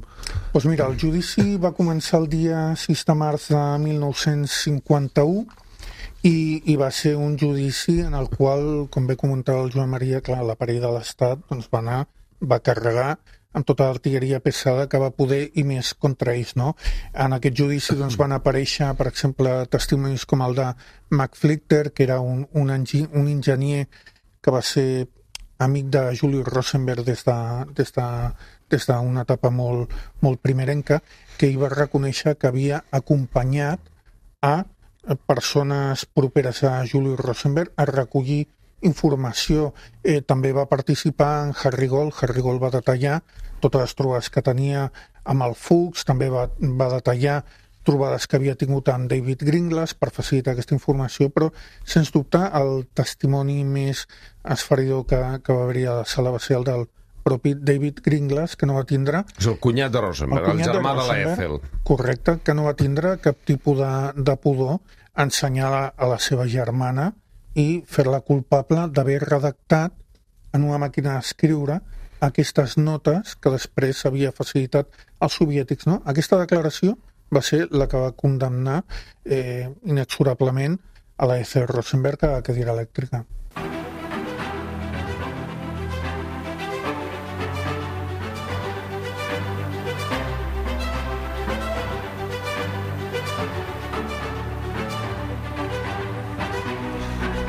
S4: Doncs mira, el judici va començar el dia 6 de març de 1951 i va ser un judici en el qual, com bé comentava el Joan Maria, clar, l'aparell de l'Estat va carregar amb tota l'artilleria pesada que va poder i més contra ells, no? En aquest judici van aparèixer, per exemple, testimonis com el de McFlicker, que era un enginyer que va ser amic de Julius Rosenberg des d'una etapa molt primerenca, que hi va reconèixer que havia acompanyat a persones properes a Julius Rosenberg a recollir informació. També va participar en Harry Gold. Harry Gold va detallar totes les trobades que tenia amb el Fuchs, també va detallar trobades que havia tingut amb David Gringlas per facilitar aquesta informació, però, sens dubte, el testimoni més esfereïdor que va haver-hi a la sala va ser el del propi David Gringlas, que no va tindre...
S2: És el cunyat de Rosenberg, el germà de la Ethel.
S4: Correcte, que no va tindre cap tipus de pudor a ensenyar a la seva germana i fer-la culpable d'haver redactat en una màquina d'escriure aquestes notes que després havia facilitat als soviètics, no? Aquesta declaració va ser la que va condemnar inexorablement a la Ethel Rosenberg a la cadira elèctrica.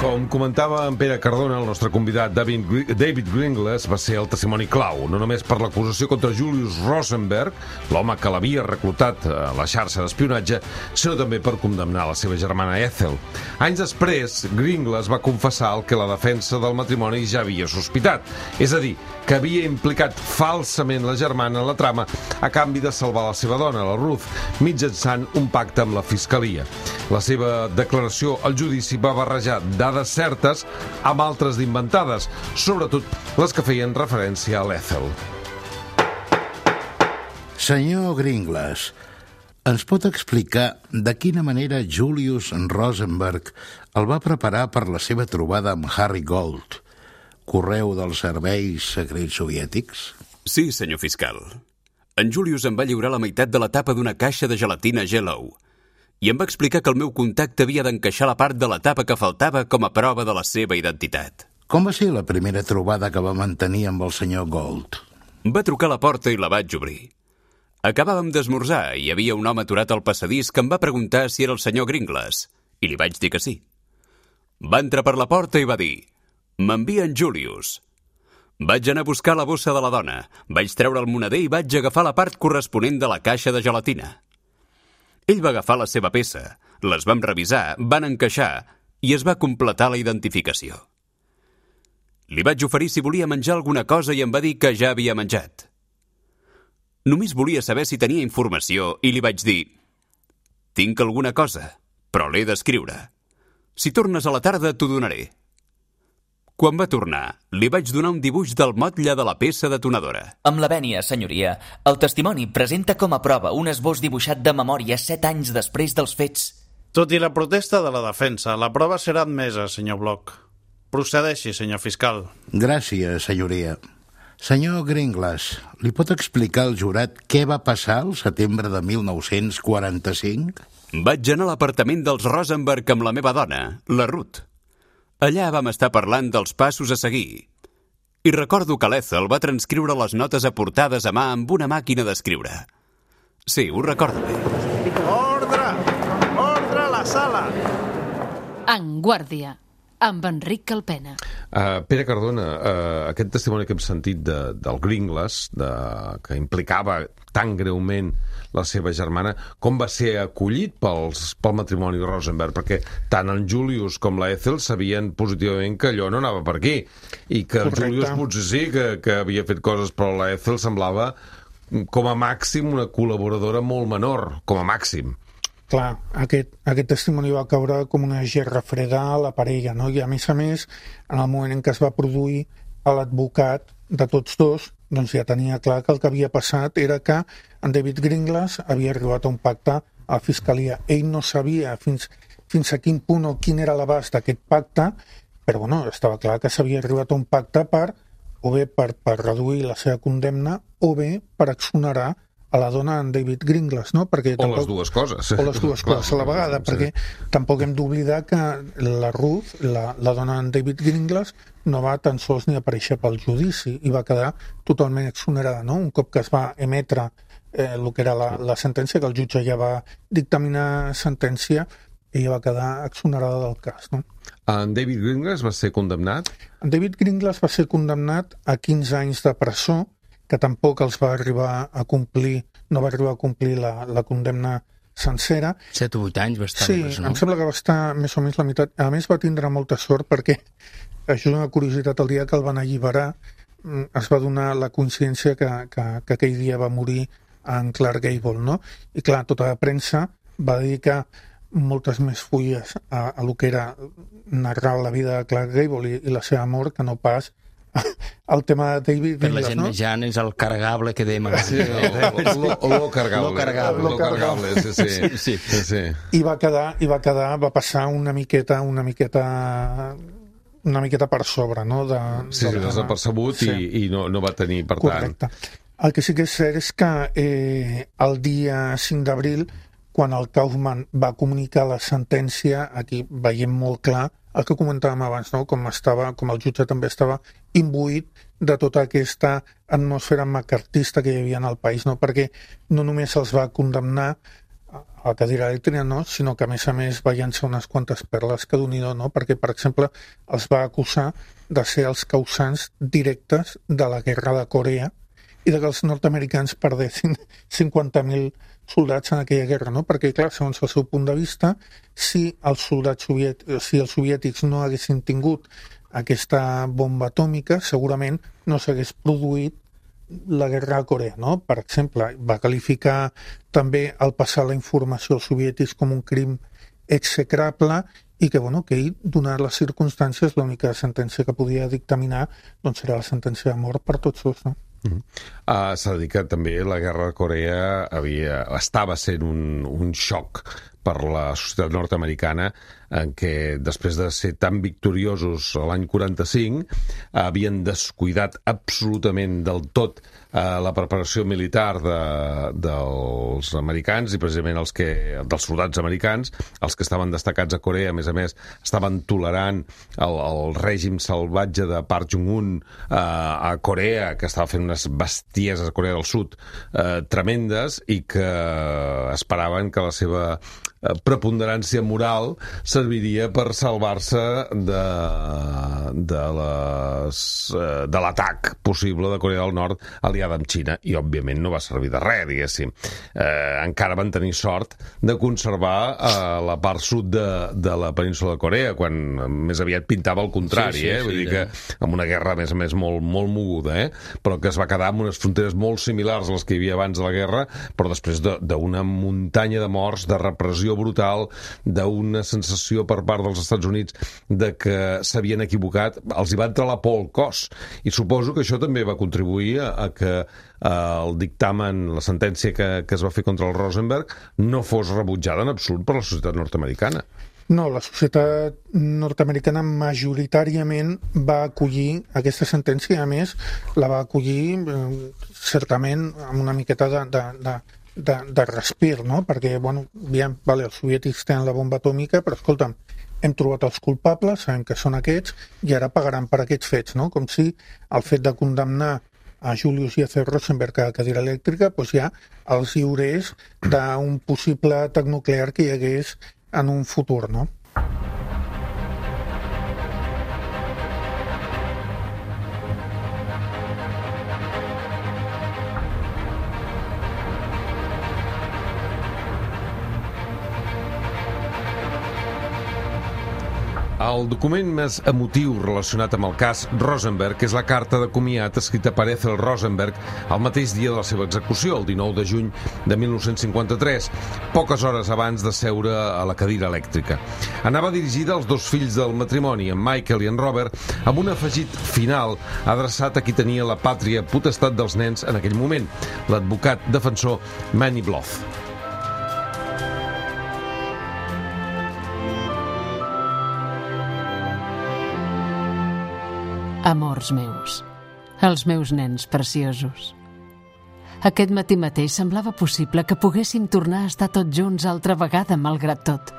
S2: Com comentava en Pere Cardona, el nostre convidat David Gringlas va ser el testimoni clau, no només per l'acusació contra Julius Rosenberg, l'home que l'havia reclutat a la xarxa d'espionatge, sinó també per condemnar la seva germana Ethel. Anys després, Gringlas va confessar el que la defensa del matrimoni ja havia sospitat, és a dir, que havia implicat falsament la germana en la trama a canvi de salvar la seva dona, la Ruth, mitjançant un pacte amb la fiscalia. La seva declaració al judici va barrejar dades certes amb altres d'inventades, sobretot les que feien referència a l'Ethel.
S5: Senyor Gringlas, ens pot explicar de quina manera Julius Rosenberg el va preparar per la seva trobada amb Harry Gold, correu dels serveis secrets soviètics?
S6: Sí, senyor fiscal. En Julius em va lliurar la meitat de la tapa d'una caixa de gelatina Jello i em va explicar que el meu contacte havia d'encaixar la part de la tapa que faltava com a prova de la seva identitat.
S5: Com va ser la primera trobada que va mantenir amb el senyor Gold?
S6: Va trucar a la porta i la vaig obrir. Acabàvem d'esmorzar i hi havia un home aturat al passadís que em va preguntar si era el senyor Gringlas, i li vaig dir que sí. Va entrar per la porta i va dir: «M'envia en Julius». Vaig anar a buscar la bossa de la dona, vaig treure el moneder i vaig agafar la part corresponent de la caixa de gelatina. Ell va agafar la seva peça, les vam revisar, van encaixar i es va completar la identificació. Li vaig oferir si volia menjar alguna cosa i em va dir que ja havia menjat. Només volia saber si tenia informació i li vaig dir: «Tinc alguna cosa, però l'he d'escriure. Si tornes a la tarda t'ho donaré». Quan va tornar, li vaig donar un dibuix del motlle de la peça detonadora.
S7: Amb la vènia, senyoria, el testimoni presenta com a prova un esbós dibuixat de memòria 7 anys després dels fets.
S8: Tot i la protesta de la defensa, la prova serà admesa, senyor Bloch. Procedeixi, senyor fiscal.
S5: Gràcies, senyoria. Senyor Gringlas, li pot explicar al jurat què va passar al setembre de 1945?
S6: Vaig anar a l'apartament dels Rosenberg amb la meva dona, la Ruth. Allà vam estar parlant dels passos a seguir. I recordo que l'Ethel va transcriure les notes aportades a mà amb una màquina d'escriure. Sí, ho recordo bé.
S8: Ordre! Ordre a la sala!
S9: En guàrdia, amb Enric Calpena.
S2: Pere Cardona, aquest testimoni que hem sentit del Gringlas, que implicava tan greument la seva germana, com va ser acollit pel matrimoni Rosenberg? Perquè tant en Julius com la Ethel sabien positivament que allò no anava per aquí, i que el Julius potser sí que havia fet coses, però la Ethel semblava com a màxim una col·laboradora molt menor, com a màxim.
S4: Clar, aquest testimoni va caure com una gerra freda a la parella, no? I a més, en el moment en què es va produir l'advocat de tots dos, doncs ja tenia clar que el que havia passat era que en David Gringlas havia arribat a un pacte a la fiscalia. Ell no sabia fins a quin punt o quin era l'abast d'aquest pacte, però bueno, estava clar que s'havia arribat a un pacte per reduir la seva condemna o bé per exonerar a la dona en David Gringlas, no? Perquè
S2: tampoc, o les dues coses.
S4: O les dues coses a la vegada, perquè tampoc hem d'oblidar que la Ruth, la dona en David Gringlas, no va tan sols ni aparèixer pel judici i va quedar totalment exonerada, no? Un cop que es va emetre el que era la sentència, que el jutge ja va dictaminar sentència, ella va quedar exonerada del cas, no?
S2: En David Gringlas va ser condemnat?
S4: En David Gringlas va ser condemnat a 15 anys de presó, que tampoc els va arribar a complir, no va arribar a complir la condemna sencera.
S3: 7 o 8 anys va estar.
S4: Sí, em sembla que va estar més o menys la meitat. A més, va tindre molta sort perquè això és una curiositat, el dia que el van alliberar es va donar la coincidència que aquell dia va morir en Clark Gable, no? I clar, tota la premsa va dedicar moltes més fulles a lo que era narrar la vida de Clark Gable i la seva mort que no pas el tema de David
S3: per la
S4: Ginglas,
S3: gent
S4: no?
S3: més gran és el cargable que dèiem
S2: Sí, lo cargable, sí.
S4: I va passar una miqueta per sobre, no?
S2: Sí, desapercebut i no va tenir, per
S4: Correcte.
S2: tant...
S4: El que sí que és cert és que el dia 5 d'abril, quan el Kaufman va comunicar la sentència, aquí veiem molt clar el que comentàvem abans, no? Com el jutge també estava imbuït de tota aquesta atmosfera macartista que hi havia en el país, no? Perquè no només els va condemnar a la cadira elèctrica, no? Sinó que a més va llançar unes quantes perles que Déu-n'hi-do, no? Perquè, per exemple, els va acusar de ser els causants directes de la guerra de Corea i de que els nord-americans perdessin 50.000 soldats en aquella guerra, no? Perquè, clar, segons el seu punt de vista, si els soviètics no haguessin tingut aquesta bomba atòmica, segurament no s'hagués produït la guerra a Corea, no? Per exemple, va qualificar també el passar la informació als soviètics com un crim execrable i que, que ell, donat les circumstàncies, l'única sentència que podia dictaminar doncs era la sentència de mort per tots dos, no?
S2: S'ha de dir que també la guerra de Corea estava sent un xoc per la societat nord-americana, en què després de ser tan victoriosos l'any 45 havien descuidat absolutament del tot la preparació militar dels americans i precisament dels soldats americans, els que estaven destacats a Corea, a més, estaven tolerant el règim salvatge de Park Chung-un a Corea, que estava fent unes bestieses a Corea del Sud tremendes i que esperaven que la seva preponderància moral serviria per salvar-se de l'atac possible de Corea del Nord aliada amb Xina, i òbviament no va servir de res, diguéssim. Encara van tenir sort de conservar la part sud de la península de Corea, quan més aviat pintava el contrari, vull dir que amb una guerra, a més, molt, molt moguda, però que es va quedar amb unes fronteres molt similars a les que hi havia abans de la guerra, però després d'una muntanya de morts, de repressió brutal, d'una sensació per part dels Estats Units de que s'havien equivocat, els hi va entrar la por al cos. I suposo que això també va contribuir a que el dictamen, la sentència que es va fer contra el Rosenberg no fos rebutjada en absolut per la societat nord-americana.
S4: No, la societat nord-americana majoritàriament va acollir aquesta sentència i, a més, la va acollir certament amb una miqueta de respir, no? Perquè, els soviètics tenen la bomba atòmica, però, escolta'm, hem trobat els culpables, sabem que són aquests, i ara pagaran per aquests fets, no? Com si el fet de condemnar a Julius i a C. Rosenberg a la cadira elèctrica ja els lliurés d'un possible atac nuclear que hi hagués en un futur, no?
S2: El document més emotiu relacionat amb el cas Rosenberg és la carta de comiat escrita per Ethel Rosenberg el mateix dia de la seva execució, el 19 de juny de 1953, poques hores abans de seure a la cadira elèctrica. Anava dirigida als dos fills del matrimoni, en Michael i en Robert, amb un afegit final adreçat a qui tenia la pàtria potestat dels nens en aquell moment, l'advocat defensor Manny Bloth.
S9: Amors meus, els meus nens preciosos. Aquest matí mateix semblava possible que poguéssim tornar a estar tots junts altra vegada, malgrat tot.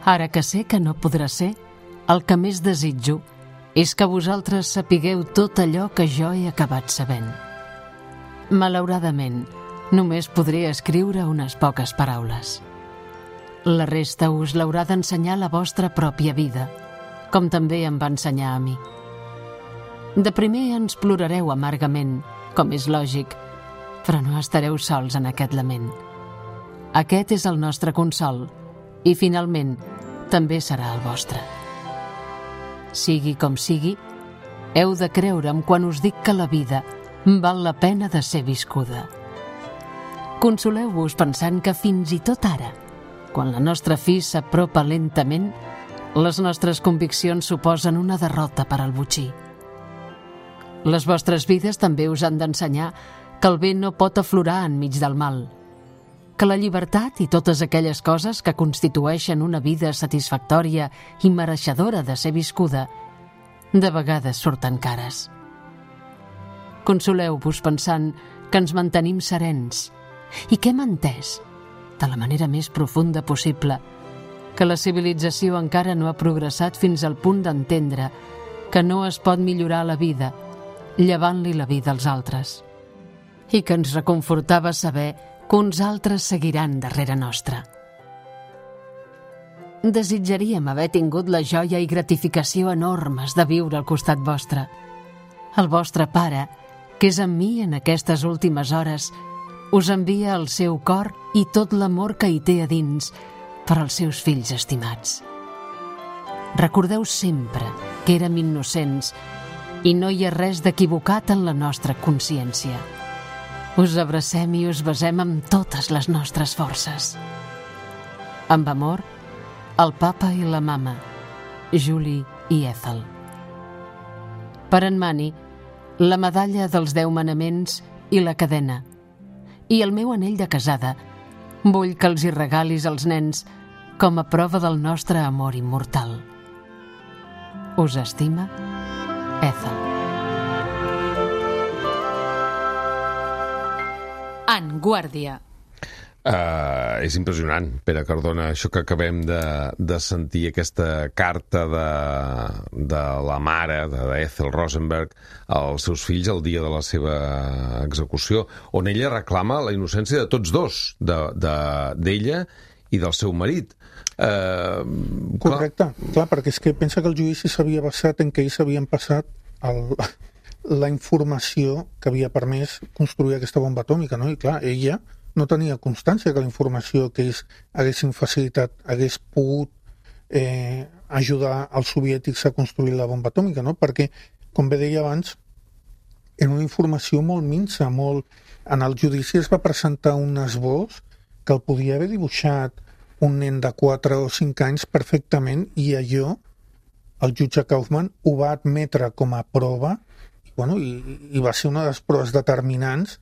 S9: Ara que sé que no podrà ser, el que més desitjo és que vosaltres sapigueu tot allò que jo he acabat sabent. Malauradament, només podré escriure unes poques paraules. La resta us l'haurà d'ensenyar la vostra pròpia vida, com també em va ensenyar a mi. De primer ens plorareu amargament, com és lògic, però no estareu sols en aquest lament. Aquest és el nostre consol, i finalment també serà el vostre. Sigui com sigui, heu de creure'm quan us dic que la vida val la pena de ser viscuda. Consoleu-vos pensant que fins i tot ara, quan la nostra fi s'apropa lentament, les nostres conviccions suposen una derrota per al botxí. Les vostres vides també us han d'ensenyar que el bé no pot aflorar enmig del mal, que la llibertat i totes aquelles coses que constitueixen una vida satisfactòria i mereixedora de ser viscuda, de vegades surten cares. Consoleu-vos pensant que ens mantenim serens i que hem entès, de la manera més profunda possible, que la civilització encara no ha progressat fins al punt d'entendre que no es pot millorar la vida llevant-li la vida als altres, i que ens reconfortava saber que uns altres seguiran darrere nostra. Desitjaríem haver tingut la joia i gratificació enormes de viure al costat vostre. El vostre pare, que és amb mi en aquestes últimes hores, us envia el seu cor i tot l'amor que hi té a dins per als seus fills estimats. Recordeu sempre que érem innocents i no hi ha res d'equivocat en la nostra consciència. Us abracem i us besem amb totes les nostres forces. Amb amor, el papa i la mama, Julie i Ethel. Per en Manny, la medalla dels 10 manaments i la cadena, i el meu anell de casada, vull que els hi regalis als nens com a prova del nostre amor immortal. Us estima, Ethel. En guàrdia.
S2: És impressionant, Pere Cardona, això que acabem de sentir, aquesta carta de la mare d'Ethel Rosenberg als seus fills el dia de la seva execució, on ella reclama la innocència de tots dos, d'ella i del seu marit.
S4: Correcte, clar, perquè és que pensa que el judici s'havia basat en que ells havien passat la informació que havia permès construir aquesta bomba atòmica, no? I clar, ella no tenia constància que la informació que ells haguessin facilitat hagués pogut ajudar als soviètics a construir la bomba atòmica, no? Perquè, com bé deia abans, era una informació molt minsa, molt... En el judici es va presentar un esbós que el podia haver dibuixat un nen de 4 o 5 anys perfectament, i allò el jutge Kaufman ho va admetre com a prova, i va ser una de les proves determinants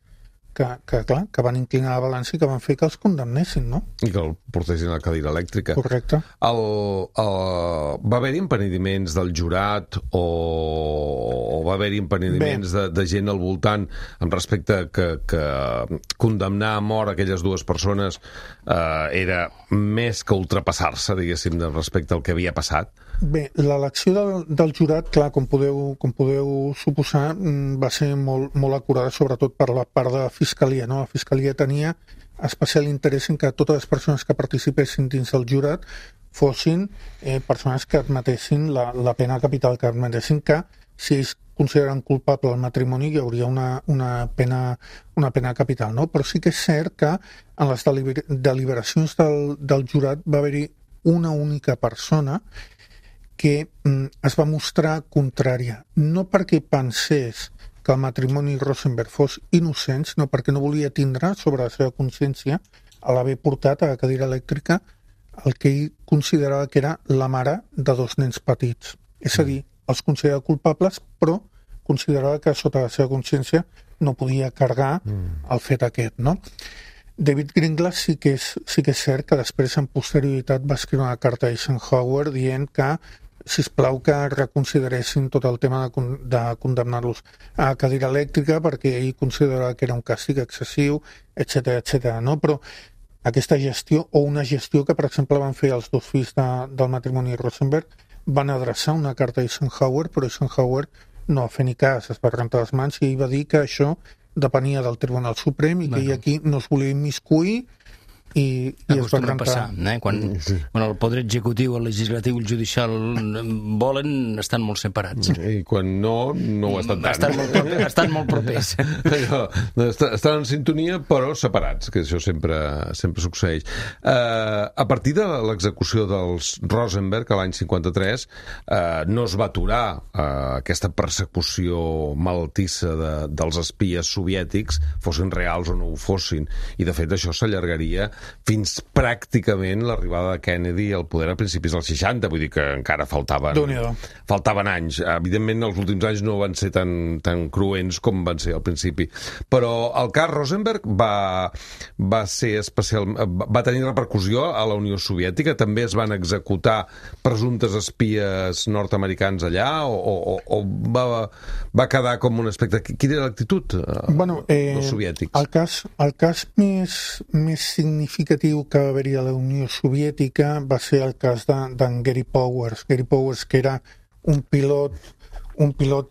S4: que van inclinar la balança i que van fer que els condemnessin, no?
S2: I que el portessin a la cadira elèctrica.
S4: Correcte.
S2: Va haver-hi empenediments del jurat o va haver-hi empenediments de gent al voltant en respecte que condemnar a mort aquelles dues persones era més que ultrapassar-se, diguéssim, respecte al que havia passat?
S4: Bé, l'elecció del jurat, clar, com podeu suposar, va ser molt acurada, sobretot per la part de la Fiscalia, no? La Fiscalia tenia especial interès en que totes les persones que participessin dins del jurat fossin persones que admetessin la pena capital, que admetessin que, si ells consideren culpable el matrimoni, hi hauria una pena capital, no? Però sí que és cert que en les deliberacions del jurat va haver-hi una única persona que es va mostrar contrària, no perquè pensés que el matrimoni Rosenberg fos innocent, sinó perquè no volia tindre sobre la seva consciència a l'haver portat a la cadira elèctrica el que ell considerava que era la mare de 2 nens petits. És a dir, els considerava culpables, però considerava que sota la seva consciència no podia carregar el fet aquest, no? David Greenglass sí que és cert que després, en posterioritat, va escriure una carta a Eisenhower dient que sisplau que reconsideressin tot el tema de condemnar-los a cadira elèctrica perquè ell considerava que era un càstig excessiu, etc., no? Però aquesta gestió, o una gestió que, per exemple, van fer els 2 fills del matrimoni Rosenberg, van adreçar una carta a Eisenhower, però Eisenhower no va fer ni cas, es va rentar les mans i ell va dir que això depenia del Tribunal Suprem i que ell aquí no es volia immiscuir i es va
S3: passar, quan el poder executiu, el legislatiu i el judicial volen, estan molt separats.
S2: I quan no ho estan tant.
S3: Estan molt propers.
S2: Estan en sintonia, però separats, que això sempre succeeix. A partir de l'execució dels Rosenberg, a l'any 53, no es va aturar aquesta persecució malaltissa dels espies soviètics, fossin reals o no ho fossin, i de fet això s'allargaria fins pràcticament l'arribada de Kennedy al poder a principis dels 60, vull dir que encara faltaven anys. Evidentment, els últims anys no van ser tan cruents com van ser al principi. Però el cas Rosenberg va ser especial, va tenir repercussió a la Unió Soviètica, també es van executar presumptes espies nord-americans allà, o va quedar com un aspecte... Quina era l'actitud dels soviètics?
S4: El cas més significatiu que va haver-hi a la Unió Soviètica va ser el cas d'en Gary Powers. Gary Powers, que era un pilot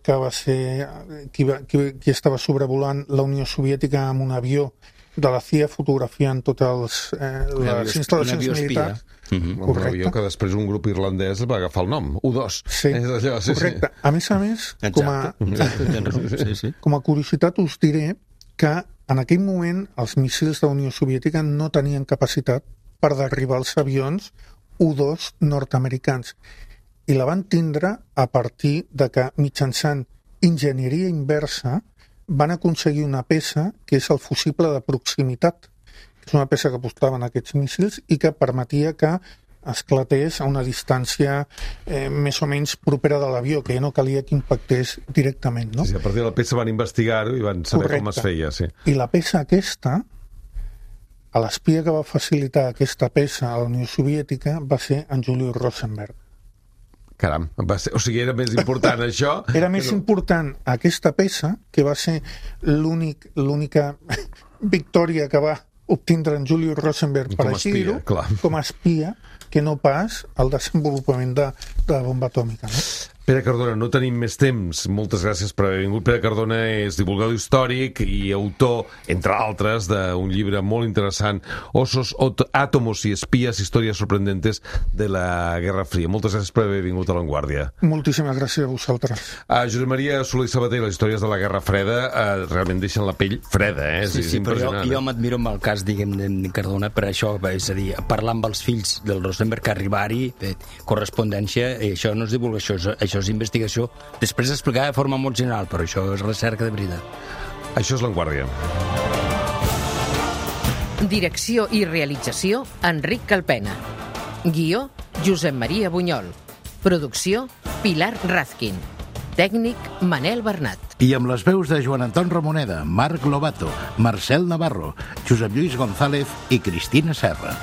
S4: que va ser qui estava sobrevolant la Unió Soviètica amb un avió de la CIA, fotografiant totes les instal·lacions militars.
S2: Un avió que després un grup irlandès va agafar el nom, U-2.
S4: Sí, correcte. A més, com a curiositat us diré que en aquell moment els míssils de la Unió Soviètica no tenien capacitat per derribar els avions U-2 nord-americans. I la van tindre a partir de que, mitjançant enginyeria inversa, van aconseguir una peça que és el fusible de proximitat, que és una peça que portaven aquests míssils i que permetia que esclatés a una distància més o menys propera de l'avió, que ja no calia que impactés directament, no?
S2: Sí, a partir de la peça van investigar-ho i van saber com es feia, sí.
S4: I la peça aquesta, a l'espia que va facilitar aquesta peça a la Unió Soviètica va ser en Julius Rosenberg.
S2: Caram, o sigui, era més important això...
S4: Era més important aquesta peça, que va ser l'única victòria que va obtindre en Julius Rosenberg per així dir-ho, com a espia, que no pas el desenvolupament de la bomba atòmica, no?
S2: Pere Cardona, no tenim més temps. Moltes gràcies per haver vingut. Pere Cardona és divulgador històric i autor, entre altres, d'un llibre molt interessant, Osos, Átomos y Espías, històries sorprendentes de la Guerra Fria. Moltes gràcies per haver vingut a La Vanguardia.
S4: Moltíssimes gràcies a vosaltres.
S2: Josep Maria Soler i Sabater, les històries de la Guerra Freda realment deixen la pell freda, eh?
S3: Sí, però jo m'admiro amb el cas, diguem, de Cardona per això, és a dir, parlar amb els fills del Rosenberg, arribar-hi, correspondència, això no és divulgació, això és investigació, després explicar de forma molt general, però això és recerca de veritat.
S2: Això és La Vanguardia.
S10: Direcció i realització, Enric Calpena. Guió, Josep Maria Bunyol. Producció, Pilar Razkin. Tècnic, Manel Bernat.
S5: I amb les veus de Joan Anton Ramoneda, Marc Lobato, Marcel Navarro, Josep Lluís González i Cristina Serra.